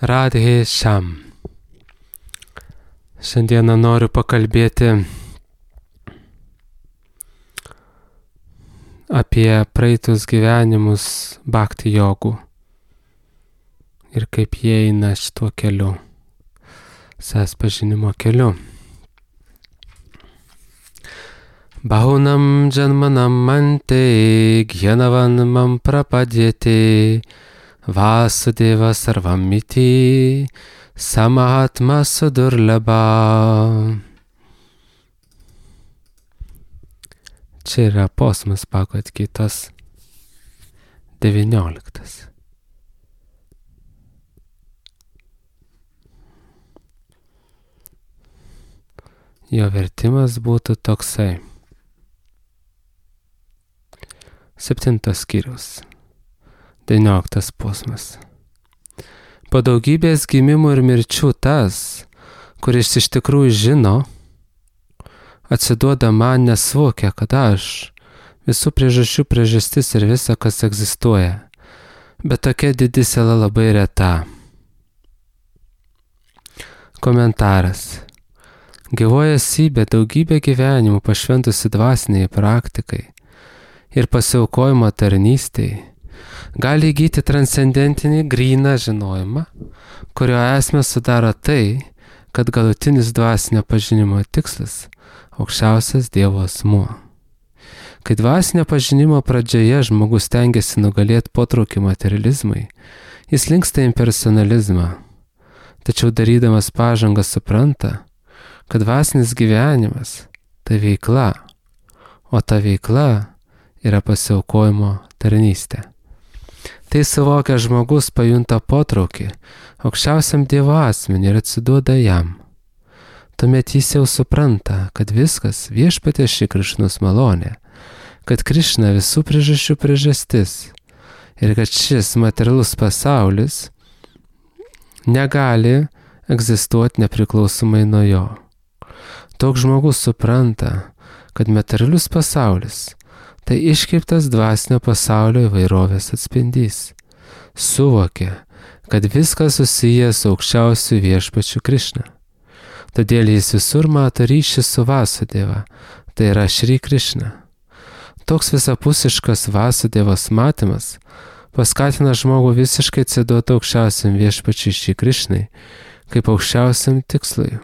Radhe Sham. Šiandieną noriu pakalbėti apie praeitus gyvenimus bhakti jogų ir kaip jie eina šituo keliu, savęs pažinimo keliu. Bahunam janmanam mante gyanavan mam prapadyate Vasudeva sarvamiti samahatma sudurlaba. Čia yra posmas Bhagavad Gitos 19. Jo vertimas būtų toksai. 7 skyrius. 19 posmas. Po daugybės gimimų ir mirčių tas, kuris iš tikrųjų žino, atsiduoda man nesuvokia, kad aš visų priežasčių priežastis ir visa, kas egzistuoja. Bet tokia didi siela labai reta. Komentaras. Gyvoji esybė daugybę gyvenimų pašventusi dvasiniai praktikai ir pasiaukojimo tarnystei gali įgyti transcendentinį gryną žinojimą, kurio esmę sudaro tai, kad galutinis dvasinio pažinimo tikslas – aukščiausias Dievo asmuo. Kai dvasinio pažinimo pradžioje žmogus stengiasi nugalėti potraukį materializmui, jis linksta į impersonalizmą, tačiau darydamas pažangą supranta, kad dvasinis gyvenimas – tai veikla, o ta veikla yra pasiaukojimo tarnystė. Tai suvokia žmogus pajunta potraukį aukščiausiam Dievo asmeniui ir atsiduoda jam. Tuomet jis jau supranta, kad viskas viešpaties Šri Krišnos malonė, kad Krišna visų priežasčių priežastis ir kad šis materialus pasaulis negali egzistuoti nepriklausomai nuo jo. Toks žmogus supranta, kad materialus pasaulis tai iškreiptas dvasinio pasaulio įvairovės atspindys. Suvokia, kad viskas susijęs su aukščiausiu viešpačiu Krišna. Todėl jis visur mato ryšį su Vasudeva, tai yra Šri Krišna. Toks visapusiškas Vasudevos matymas paskatina žmogų visiškai atsiduoti aukščiausiam viešpačiui Šri Krišnai, kaip aukščiausiam tikslui.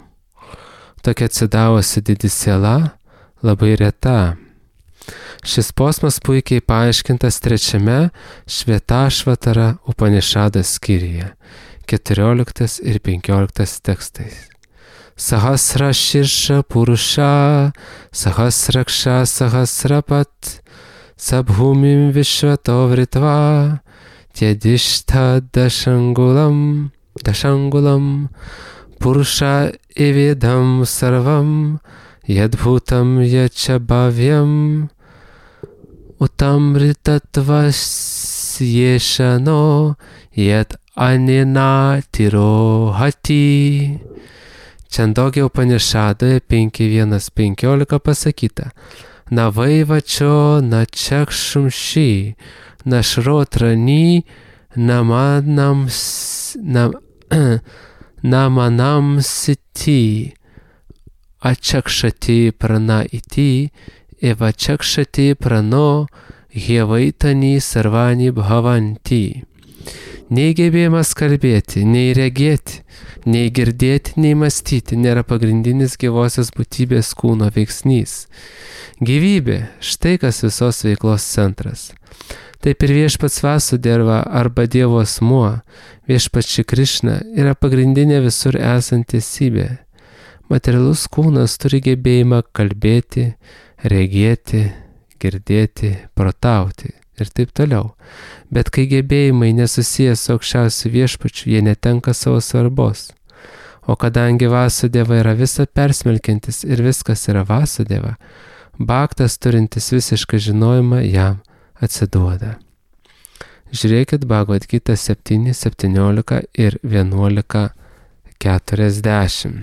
Tokia atsidavusi didi siela labai reta. Šis posmas puikiai paaiškintas 3 Švetašvatara Upanišadas skyriuje, 14 ir 15 tekstais. Sahasra širša purusha, sahasraksha sahasrapat, sabhumim vishvato vritva, tjedišta dashangulam, purusha evedam sarvam, yadbhutam yachabhavyam, utamritatvas yeshano yat anena tirohati. Čandogya Upanišadoje 5.1.15 pasakyta: Navaivačio načakšumši, našrotrani, namanam siti, achakšati prana iti, evachakšati prano, hievaitani sarvani bhavanti. Nei gebėjimas kalbėti, nei regėti, nei girdėti, nei mąstyti nėra pagrindinis gyvosios būtybės kūno veiksnys. Gyvybė, štai kas visos veiklos centras. Taip ir viešpats Vasudeva arba Dievo asmuo, viešpats Šri Krišna, yra pagrindinė visur esanti esybė. Materialus kūnas turi gebėjimą kalbėti, regėti, girdėti, protauti ir taip toliau. Bet kai gebėjimai nesusiję su aukščiausiu viešpačiu, jie netenka savo svarbos. O kadangi Vasudeva yra visa persmelkiantis ir viskas yra Vasudeva, bhaktas turintis visišką žinojimą jam atsiduoda. Žiūrėkit Bhagavad Gita 7, 17 ir 11, 40.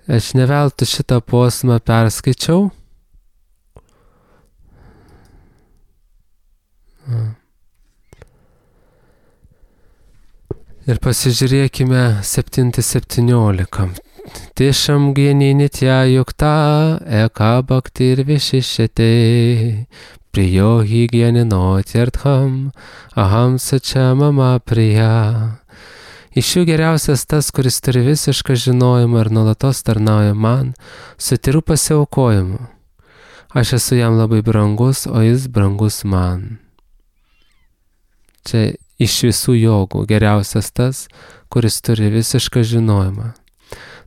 Aš neveltui šitą posmą perskaičiau. Ir pasižiūrėkime 7:17. Tisham geni nitya yukta eka bhakti ir vishishete priyo hi gyaninotjartham aham sacha mama priya. Iš jų geriausias tas, kuris turi visišką žinojimą ir nuolatos tarnauja man, su tyru pasiaukojimu. Aš esu jam labai brangus, o jis brangus man. Čia iš visų jogų geriausias tas, kuris turi visišką žinojimą.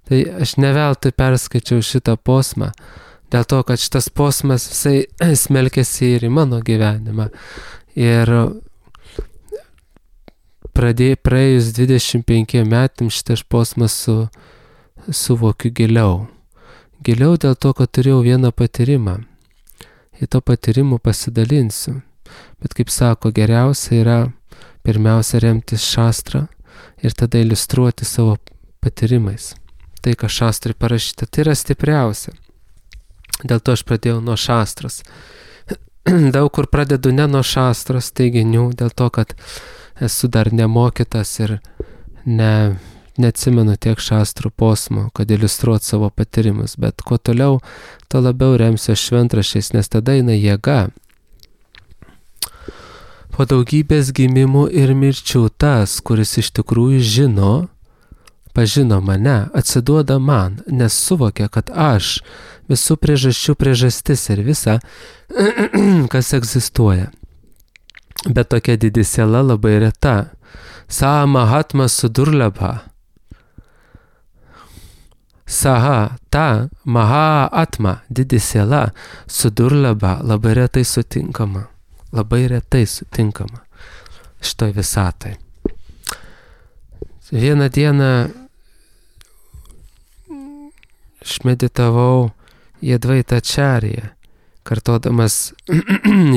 Tai aš neveltui perskaičiau šitą posmą, dėl to, kad šitas posmas visai smelkėsi ir į mano gyvenimą. Ir praėjus 25 metam šitas posmas suvokiu giliau. Giliau dėl to, kad turėjau vieną patyrimą. Į to patyrimų pasidalinsiu. Bet kaip sako, geriausia yra pirmiausia remtis šastrą ir tada iliustruoti savo patyrimais. Tai, ką šastrai parašyta, tai yra stipriausia. Dėl to aš pradėjau nuo šastros. Daug kur pradedu ne nuo šastros teiginių, dėl to, kad esu dar nemokytas ir neatsimenu tiek šastrų posmų, kad iliustruot savo patyrimus. Bet kuo toliau, to labiau remsiu šventraščiais, nes tada eina jėga. Po daugybės gimimų ir mirčių tas, kuris iš tikrųjų pažino mane, atsiduoda man, nes suvokia, kad aš visų priežasčių priežastis ir visa, kas egzistuoja. Bet tokia didi siela labai reta. Saha mahatma sudurlabha. Saha, ta, maha atma, didi siela, sudurlabha, labai retai sutinkama. Labai retai sutinkama šitoj visatai. Vieną dieną aš meditavau į Advaitą Acharya, kartodamas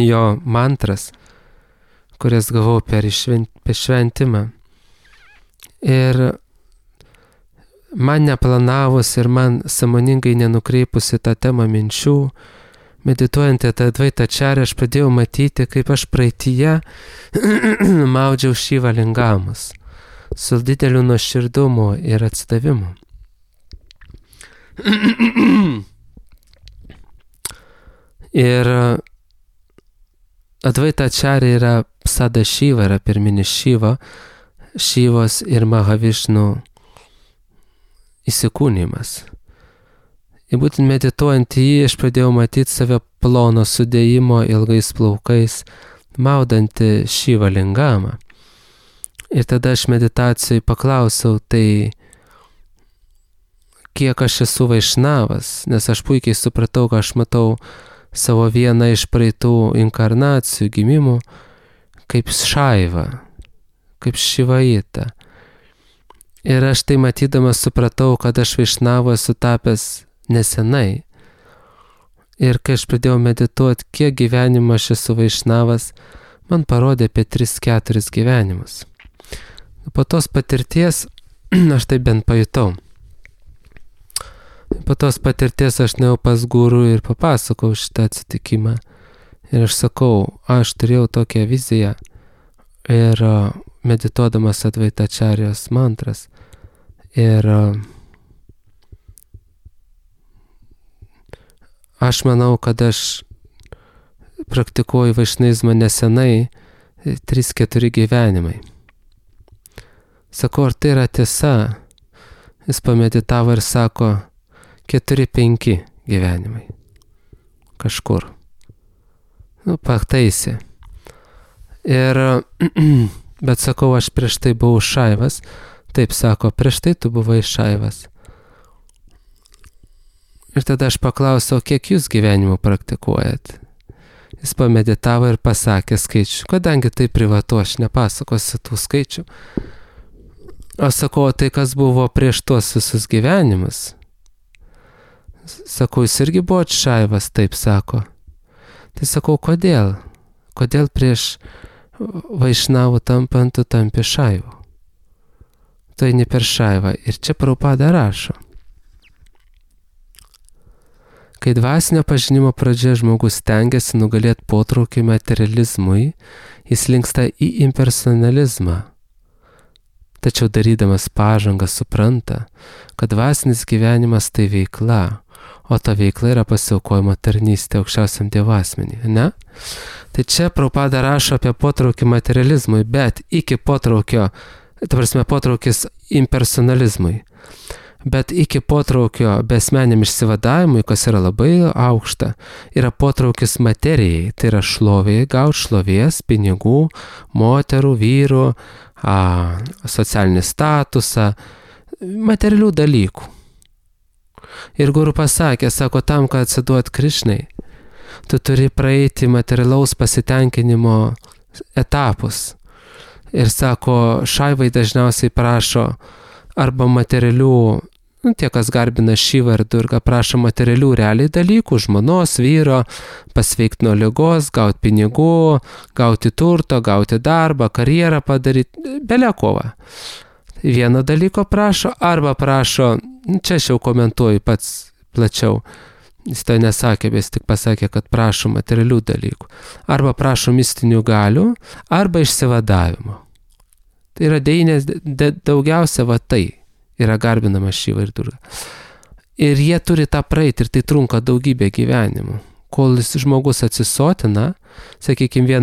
jo mantras, kurias gavau per šventimą. Ir man neplanavus ir man sąmoningai nenukreipus į tą temą minčių, medituojant į tą Advaitą Acharya, aš pradėjau matyti, kaip aš praeityje maudžiau Šiva lingamus su dideliu nuoširdumu ir atsidavimu. Ir Advaita Acharya yra Sadašiva, yra pirminis Šiva, Šivos ir Mahavišnų įsikūnymas. Ir būtent medituojant į jį, aš pradėjau matyti save plono sudėjimo ilgais plaukais, maudantį Šiva lingamą. Ir tada aš meditacijai paklausiau, tai kiek aš esu vaišnavas, nes aš puikiai supratau, kad aš matau savo vieną iš praeitų inkarnacijų gimimų kaip Šaiva, kaip Šivaita. Ir aš tai matydamas supratau, kad aš vaišnavu esu tapęs nesenai. Ir kai aš pradėjau medituoti, kiek gyvenimų aš esu vaišnavas, man parodė apie 3-4 gyvenimus. Po tos patirties aš tai bent pajutau. Po tos patirties aš nuėjau pas guru ir papasakau šitą atsitikimą. Ir aš sakau, aš turėjau tokią viziją ir medituodamas Advaita Acharyos mantras. Ir aš manau, kad aš praktikuoju vaišnizmą nesenai 3-4 gyvenimai. Sakau, ar tai yra tiesa? Jis pameditavo ir sako, 4-5 gyvenimai. Kažkur. Pataisė. Ir, bet sakau, aš prieš tai buvau Šaivas. Taip sako, prieš tai tu buvai Šaivas. Ir tada aš paklausiau, kiek jūs gyvenimų praktikuojat? Jis pameditavo ir pasakė skaičių. Kadangi tai privatu, aš nepasakosiu tų skaičių. Aš sakau, tai kas buvo prieš tuos visus gyvenimus? Sakau, jūs irgi buvot Šaivas, taip sako. Tai sakau, kodėl? Kodėl prieš vaišnavų tampant tu tampi Šaivu? Tai ne per Šaivą. Ir čia Prabhupada rašo. Kai dvasinio pažinimo pradžia žmogus stengiasi nugalėti potraukį materializmui, jis linksta į impersonalizmą. tačiau darydamas pažangą supranta, kad dvasinis gyvenimas tai veikla, o ta veikla yra pasiaukojimo tarnystė aukščiausiam Dievo asmeniui, ne? Tai čia Prabhupada rašo apie potraukį materializmui, bet iki potraukio, potraukis impersonalizmui, bet iki potraukio besmeniam išsivadavimui, kas yra labai aukšta, yra potraukis materijai, tai yra šlovėjai, gauti šlovės, pinigų, moterų, vyrų, socialinį statusą, materialių dalykų. Ir guru pasakė, sako, tam, kad atsiduot Krišnai, tu turi praeiti materialaus pasitenkinimo etapus. Ir sako, šaivai dažniausiai prašo arba materialių, tie, kas garbina Šivą ir Durgą, prašo materialių realiai dalykų, žmonos, vyro, pasveikti nuo ligos, gauti pinigų, gauti turto, gauti darbą, karjerą padaryti, belekova. Vieno dalyko prašo, arba prašo, čia aš jau komentuoju pats plačiau, jis to nesakė, bet jis tik pasakė, kad prašo materialių dalykų, arba prašo mistinių galių, arba išsivadavimo. Tai yra daugiausia va tai yra garbinama Šiva ir Durga. Ir jie turi tą praeiti ir tai trunka daugybę gyvenimų. Kol žmogus atsisotina, sakykime,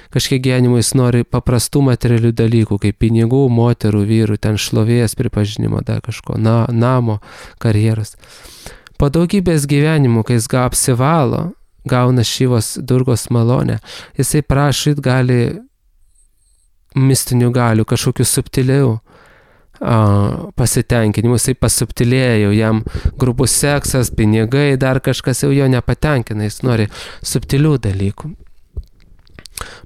kažkiek gyvenimo jis nori paprastų materialių dalykų, kaip pinigų, moterų, vyrų, ten šlovės, pripažinimo, dar kažko, namo, karjeros. Po daugybės gyvenimų, kai jis apsivalo, gauna Šivos Durgos malonę, jisai prašyt gali mistinių galių, kažkokių subtilių pasitenkinimų, jisai pasubtilėjo, jam grubus seksas, pinigai, dar kažkas jau jo nepatenkina, jis nori subtilių dalykų.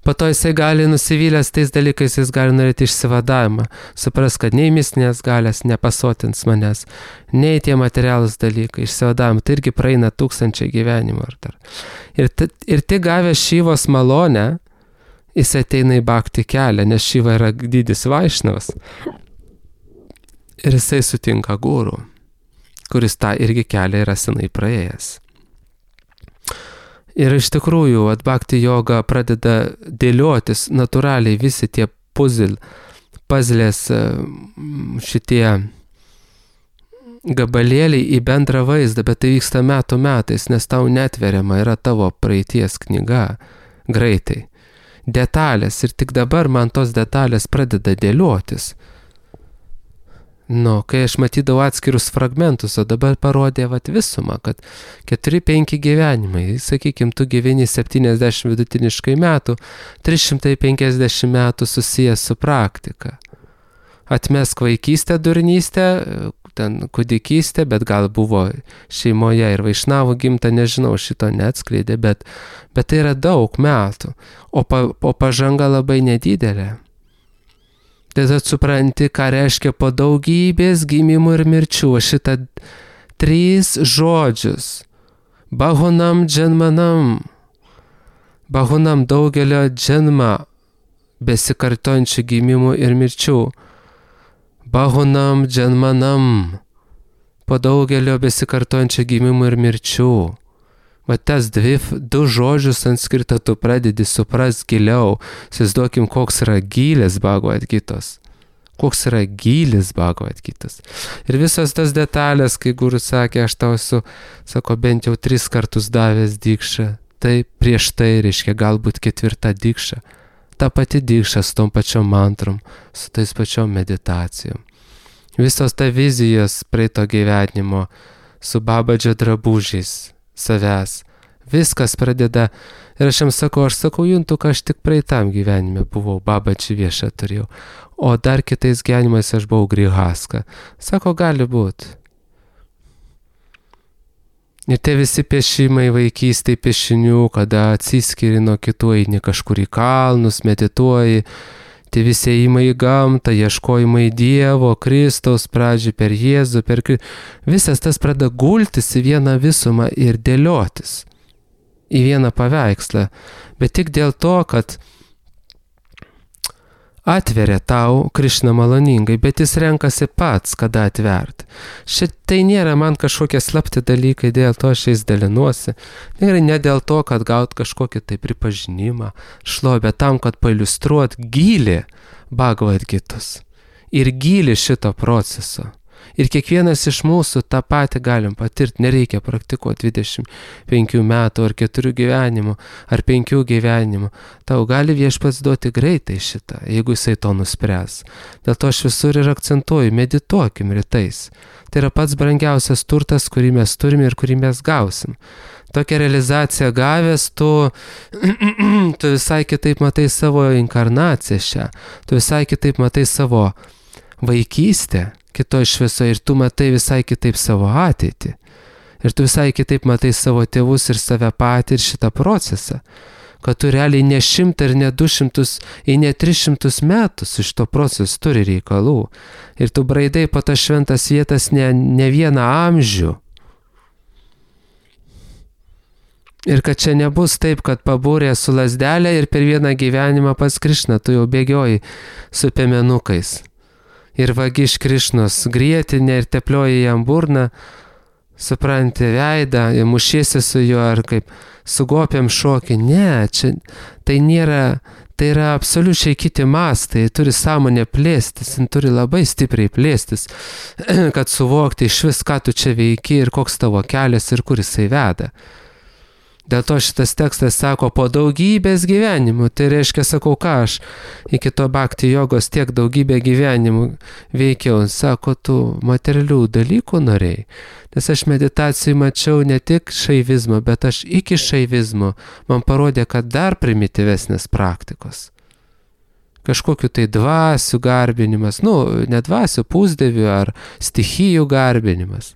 Po to jisai gali nusivylęs tais dalykais, jis gali norėti išsivadavimą, supras, kad nei mistinės galės nepasotins manęs, nei tie materialūs dalykai, išsivadavimą, tai irgi praeina 1000 gyvenimų ar dar. Ir tik gavęs Šivos malonę, jis ateina į bhakti kelią, nes Šiva yra didis Vaišnavas. Ir jisai sutinka guru, kuris tą irgi kelią yra senai praėjęs. Ir iš tikrųjų, bhakti joga pradeda dėliotis natūraliai visi tie pazlės šitie gabalėliai į bendrą vaizdą, bet tai vyksta metų metais, nes tau netveriama yra tavo praeities knyga greitai. Detalės ir tik dabar man tos detalės pradeda dėliotis. Kai aš matydavau atskirus fragmentus, o dabar parodė visumą, kad 4-5 gyvenimai, sakykime, tu gyveni 70 vidutiniškai metų, 350 metų susijęs su praktika. Atmesk vaikystę, durnystę, ten kūdikystę, bet gal buvo šeimoje ir vaišnavų gimta, nežinau, šito neatskleidė, bet tai yra daug metų, o pažanga labai nedidelė. Tada supranti, ką reiškia po daugybės gimimų ir mirčių. Šitą 3 žodžius. Bahunam dženmanam. Bahunam daugelio dženma besikartojančių gimimų ir mirčių. Bahunam dženmanam. Po daugelio besikartojančių gimimų ir mirčių. Va tas 2 žodžius sanskrito tu pradedi supras giliau. Įsivaizduokim, koks yra gylis Bhagavad Gitos. Koks yra gylis Bhagavad Gitos. Ir visas tas detalės, kai guru sakė, aš tau esu, sako, bent jau 3 kartus davęs dikšą. Tai prieš tai reiškia galbūt 4 dikša. Ta pati dikša su tom pačiom mantrom, su tais pačiom meditacijom. Visos ta vizijos praeito gyvenimo su babadžio drabužiais savęs. Viskas pradeda, ir aš jam sakau, juntu, kad aš tik praeitam gyvenime buvau, babadžį viešą turėjau, o dar kitais gyvenimais aš buvau grihaska. Sako, gali būti. Ir tie visi piešimai vaikystėj piešinių, kada atsiskiri nuo kitų, eini kažkur į kalnus, medituoji, tie visi ėjimai į gamtą, ieškojimai Dievo, Kristaus pradžiai per Jėzų, visas tas pradeda gultis į vieną visumą ir dėliotis į vieną paveikslą, bet tik dėl to, kad atveria tau Krišna maloningai, bet jis renkasi pats, kada atverti. Šitai nėra man kažkokie slapti dalykai, dėl to aš jais dalinuosi. Ne dėl to, kad gaut kažkokį tai pripažinimą, šlovę, tam, kad pailiustruot gylį Bhagavad Gitos. ir gylį šito proceso. Ir kiekvienas iš mūsų tą patį galim patirti, nereikia praktikuoti 25 metų ar 4 gyvenimų ar 5 gyvenimų. Tau gali Viešpats duoti greitai šitą, jeigu jisai to nuspręs. Dėl to aš visur ir akcentuoju, medituokim rytais. Tai yra pats brangiausias turtas, kurį mes turime ir kurį mes gausim. Tokią realizaciją gavęs, tu visai kitaip matai savo inkarnaciją šią, tu visai kitaip matai savo vaikystę kitoj šviesoje ir tu matai visai kitaip savo ateitį. Ir tu visai kitaip matai savo tėvus ir save patį ir šitą procesą. Kad tu realiai ne 100 ir ne 200 ir ne 300 metų su šito procesu turi reikalų. Ir tu braidai po tas šventas vietas ne vieną amžių. Ir kad čia nebus taip, kad pabūrė su lazdelė ir per vieną gyvenimą pas Krišną tu jau bėgioji su piemenukais. Ir vagi iš Krišnos grietinę ir teplioji jam burną, supranti veidą, mušiesi su juo ar kaip sugopiam šokį. Ne, čia tai nėra, tai yra absoliučiai kiti mastai, turi sąmonę plėstis, turi labai stipriai plėstis, kad suvokti iš vis, ką tu čia veiki ir koks tavo kelias ir kur jisai veda. Dėl to šitas tekstas sako, po daugybės gyvenimų, tai reiškia, sakau, ką aš iki to bhakti jogos tiek daugybę gyvenimų veikiau, sako, tu materialių dalykų norėjai. Nes aš meditacijai mačiau ne tik šaivizmo, bet aš iki šaivizmo man parodė, kad dar primityvesnės praktikos. Kažkokiu tai dvasių garbinimas, ne dvasių, pusdievių ar stichijų garbinimas.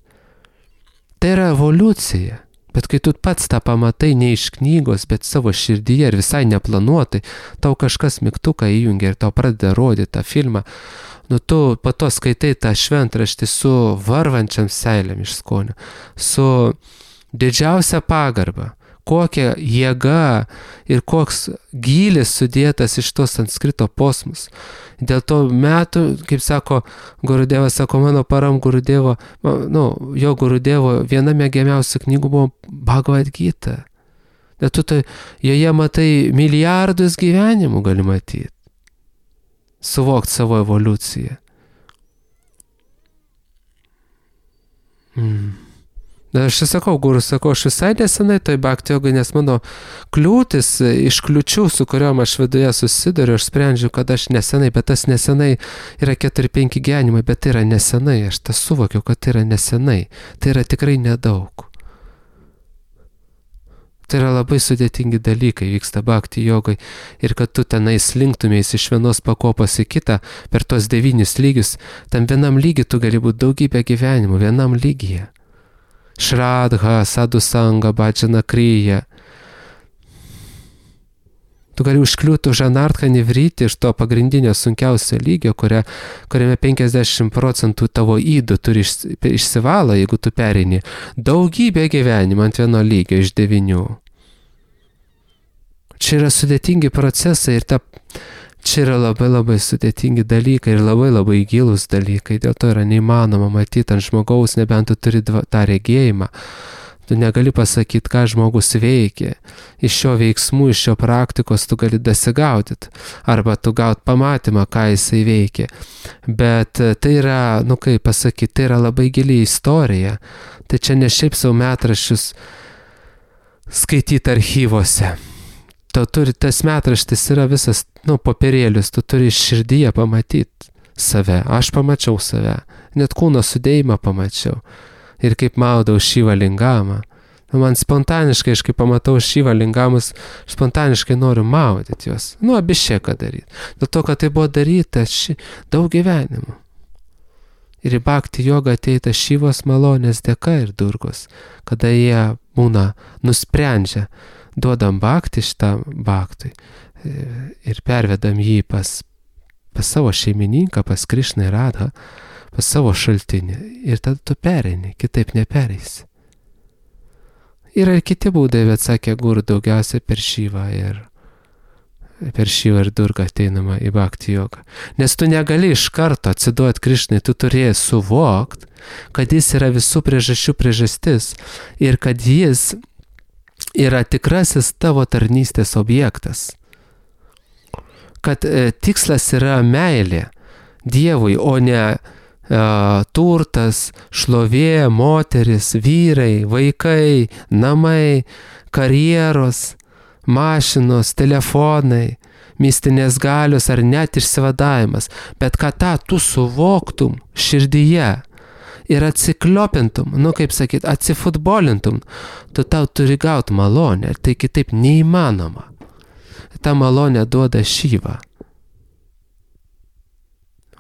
Tai yra evoliucija. Bet kai tu pats tą pamatai ne iš knygos, bet savo širdyje ir visai neplanuotai, tau kažkas mygtuką įjungia ir tau pradeda rodyti tą filmą, tu po to skaitai tą šventraštį su varvančiam seilėm iš skonio, su didžiausia pagarba, kokia jėga ir koks gylis sudėtas iš tos sanskrito posmus. Dėl to metų, kaip sako Gurudevas, sako, mano param Gurudevo, jo Gurudevo viena mėgiamiausių knygų buvo Bhagavad Gita. Dėl tu joje matai milijardus gyvenimų gali matyti. Suvokti savo evoliuciją. Aš sakau, Gurus, aš visai nesenai toj bhakti jogai, nes mano kliūtis iš kliučių, su kuriuom aš viduje susiduriu, aš sprendžiu, kad aš nesenai, bet tas nesenai yra 4-5 gyvenimai, bet tai yra nesenai, aš tas suvokiu, kad tai yra nesenai, tai yra tikrai nedaug. Tai yra labai sudėtingi dalykai vyksta bhakti jogai ir kad tu tenai slinktumės iš vienos pakopos į kitą per tos 9 lygius, tam vienam lygiui tu gali būti daugybę gyvenimų, vienam lygyje. Šradha, sadusanga, bhajana kriya. Tu gali užkliūti už anartką nevryti iš to pagrindinio sunkiausio lygio, kuriame 50% tavo įdų turi išsivalo, jeigu tu pereini daugybę gyvenimą ant vieno lygio iš 9. Čia yra sudėtingi procesai ir čia yra labai labai sudėtingi dalykai ir labai labai gilūs dalykai, dėl to yra neįmanoma matyti ant žmogaus, nebent tu turi tą regėjimą. Tu negali pasakyti, ką žmogus veikia. Iš šio veiksmų, iš šio praktikos tu gali dasigaudyti. Arba tu gaut pamatymą, ką jisai veikia. Bet tai yra, kaip pasakyti, tai yra labai gili istorija. Tai čia ne šiaip savo metraščius skaityti archyvose. Tas metraštis yra visas, popierėlius, tu turi širdyje pamatyti save. Aš pamačiau save. Net kūno sudėjimą pamačiau. Ir kaip maudau Šivą lingamą. Man spontaniškai, aš kai pamatau Šivą lingamus, spontaniškai noriu maudyti juos. Abišėką daryti. Dėl to, kad tai buvo daryta daug gyvenimų. Ir į bhakti jogą ateita Šivos malonės dėka ir Durgos, kada jie būna nusprendžia, duodam bhakti šitam bhaktui ir pervedam jį pas savo šeimininką, pas Krišną ir Radhą, pas savo šaltinį ir tada tu pereini, kitaip nepereisi. Yra ir kiti būdai, bet sakė Guru, daugiausiai per Šivą ir Durgą ateinama į bhakti jogą. Nes tu negali iš karto atsiduoti Krišnai, tu turėjai suvokti, kad jis yra visų priežasčių priežastis ir kad jis yra tikrasis tavo tarnystės objektas. Kad tikslas yra meilė. Dievui, o ne turtas, šlovė, moteris, vyrai, vaikai, namai, karjeros, mašinos, telefonai, mistinės galios ar net išsivadavimas, bet kad tą tu suvoktum širdyje ir atsikliopintum, kaip sakyt, atsifutbolintum, tu tau turi gauti malonę, tai kitaip neįmanoma. Ta malonė duoda Šyva.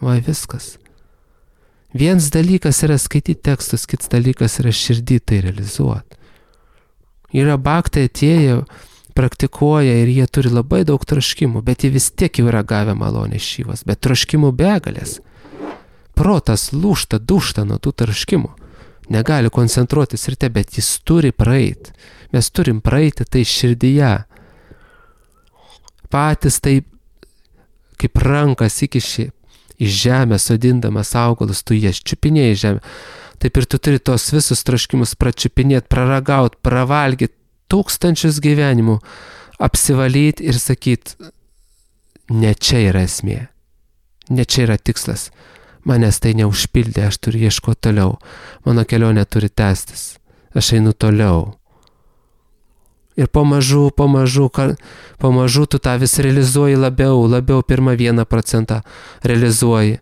Va viskas. Vienas dalykas yra skaityti tekstus, kitas dalykas yra širdį tai realizuoti. Yra baktai atėję, praktikuoja ir jie turi labai daug troškimų, bet jie vis tiek jau yra gavę malonę Šyvos, bet troškimų begalės. Protas lūžta, dūžta nuo tų troškimų. Negali koncentruotis ryte, bet jis turi praeiti. Mes turim praeiti tai širdyje. Patys taip, kaip rankas įkiši į žemę, sodindamas augalus, tu jas čiupinėjai žemę. Taip ir tu turi tos visus troškimus pračiupinėti, praragauti, pravalgyti tūkstančius gyvenimų, apsivalyti ir sakyti, ne čia yra esmė, ne čia yra tikslas. Manęs tai neužpildė, aš turiu ieškoti toliau. Mano kelionė turi tęstis. Aš einu toliau. Ir pamažu tu tą vis realizuoji labiau pirmą 1% realizuoji.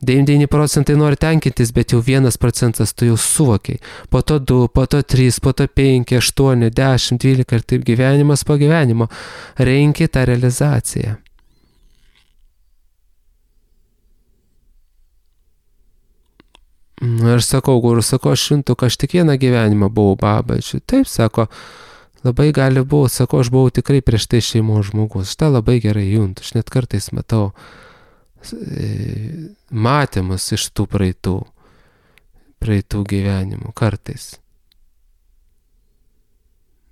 99% nori tenkintis, bet jau 1% tu jau suvokiai. Po to 2, po to 3, po to 5, 8, 10, 12 ir taip gyvenimas po gyvenimo. Renki tą realizaciją. Ir sakau, guru, aš šimtuk, aš tik vieną gyvenimą buvau babačiu. Taip, sako, labai gali būti, sako, aš buvau tikrai prieš tai šeimos žmogus. Šitą labai gerai juntu, aš net kartais matau matymus iš tų praeitų gyvenimų, kartais.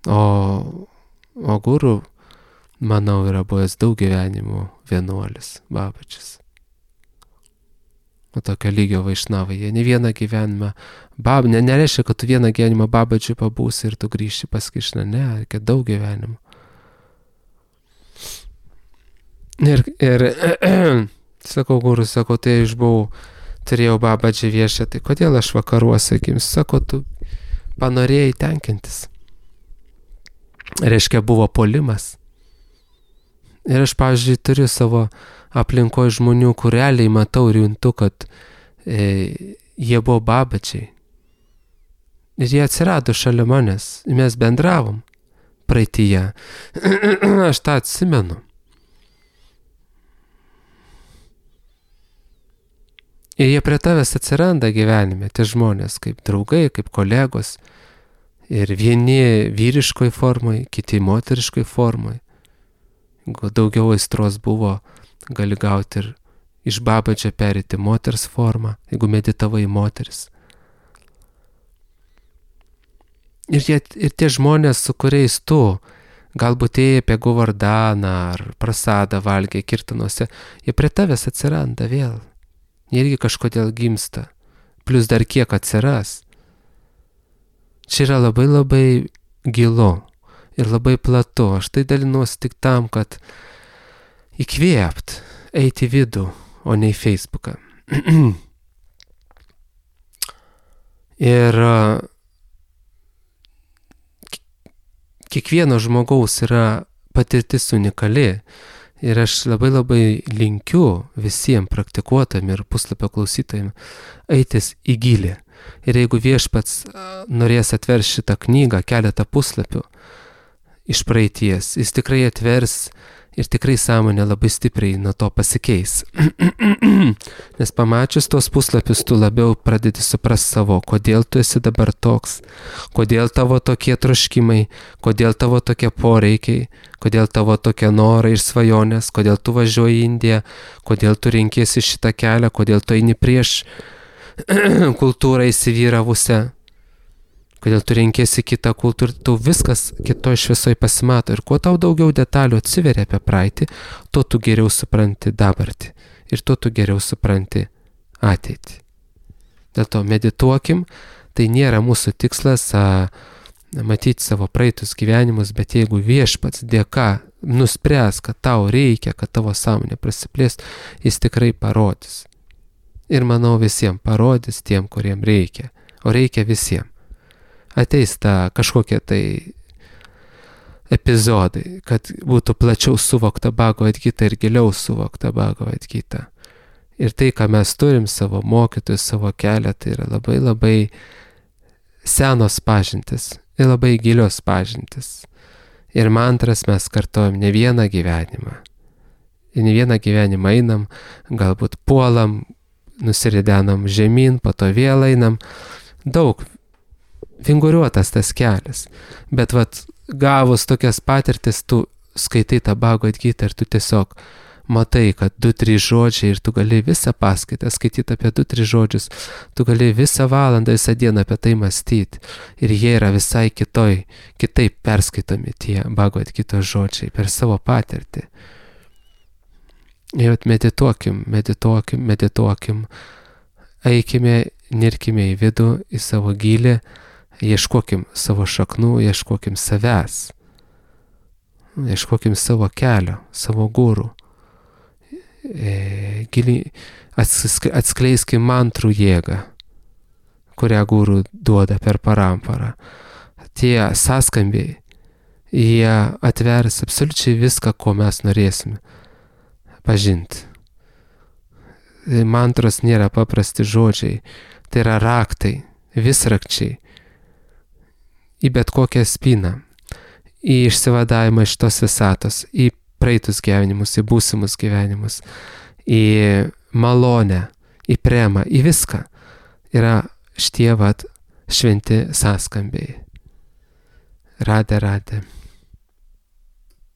O guru, manau, yra buvęs daug gyvenimų vienuolis, babačius. O tokio lygio vaišnavai, jie ne vieną gyvenimą, nereiškia, kad tu vieną gyvenimą babačiui pabūsi ir tu grįši pas Krišną, ne, reikia daug gyvenimų. Ir sakau, guru, sako, tai aš turėjau babačiai viešą, tai kodėl aš vakaruose, sako, tu panorėjai tenkintis. Reiškia, buvo puolimas. Ir aš, pavyzdžiui, turiu savo aplinkoje žmonių, kur realiai matau ir juntu, kad jie buvo babačiai. Ir jie atsirado šalia manęs. Mes bendravom praeityje. Aš tą atsimenu. Ir jie prie tavęs atsiranda gyvenime, tie žmonės, kaip draugai, kaip kolegos. Ir vieni vyriškoj formai, kiti moteriškoj formai. Jeigu daugiau aistros buvo, gali gauti ir iš babačio perėti moters formą, jeigu meditavai moteris. Ir tie žmonės, su kuriais tu galbūt ėjai apie Govardaną ar prasadą valgė Kirtanuose, jie prie tavęs atsiranda vėl. Jie irgi kažkodėl gimsta, plus dar kiek atsiras. Čia yra labai labai gilu ir labai platu. Aš tai dalinuosi tik tam, kad įkvėpt, eiti į vidų, o ne į Facebooką. Ir kiekvieno žmogaus yra patirtis unikali. Ir aš labai labai linkiu visiems praktikuotam ir puslapio klausytojim eitis į gilį. Ir jeigu viešpats norės atvers šitą knygą, keletą puslapių iš praeities, jis tikrai atvers ir tikrai sąmonė labai stipriai nuo to pasikeis. Nes pamačius tos puslapius, tu labiau pradedi suprasti savo, kodėl tu esi dabar toks, kodėl tavo tokie troškimai, kodėl tavo tokie poreikiai, kodėl tavo tokie norai ir svajonės, kodėl tu važiuoji į Indiją, kodėl tu renkiesi šitą kelią, kodėl tu eini prieš kultūrą įsivyravusią, kodėl tu renkiesi kitą kultūrą, tu viskas kitoj šviesoj pasimato. Ir kuo tau daugiau detalių atsiveria apie praeitį, tuo tu geriau supranti dabartį. Ir tuo tu geriau supranti ateitį. Dėl to medituokim, tai nėra mūsų tikslas matyti savo praeitus gyvenimus, bet jeigu viešpats dėka nuspręs, kad tau reikia, kad tavo sąmonė prasiplės, jis tikrai parodys. Ir manau visiems parodys tiem, kuriem reikia. O reikia visiems. Ateis ta kažkokie tai epizodai, kad būtų plačiau suvokta Bhagavad Gita ir giliau suvokta Bhagavad Gita. Ir tai, ką mes turim savo mokytojus, savo kelią, tai yra labai labai senos pažintis ir labai gilios pažintis. Ir mantras mes kartojam ne vieną gyvenimą. Ir ne vieną gyvenimą einam, galbūt puolam, nusiridenam žemyn, po to vėl einam. Daug vinguriuotas tas kelias. Bet gavus tokias patirtis, tu skaitai tą Bhagavad Gitą ir tu tiesiog matai, kad 2-3 žodžiai ir tu gali visą paskaitą skaityti apie 2-3 žodžius, tu gali visą valandą, visą dieną apie tai mąstyti. Ir jie yra visai kitaip perskaitomi tie Bhagavad Gitos žodžiai per savo patirtį. Ir medituokim, eikime, nirkime į vidų, į savo gilį, ieškokim savo šaknų, ieškokim savęs, ieškokim savo kelio, savo gurų. Giliai atskleiskim mantrų jėgą, kurią gurų duoda per paramparą. Tie sąskambiai, jie atvers absoliučiai viską, ko mes norėsime pažinti. Mantros nėra paprasti žodžiai, tai yra raktai, visrakčiai į bet kokią spyną, į išsivadavimą iš tos visatos, į praeitus gyvenimus, į būsimus gyvenimus, į malonę, į premą, į viską yra šitie šventi sąskambiai. Radė.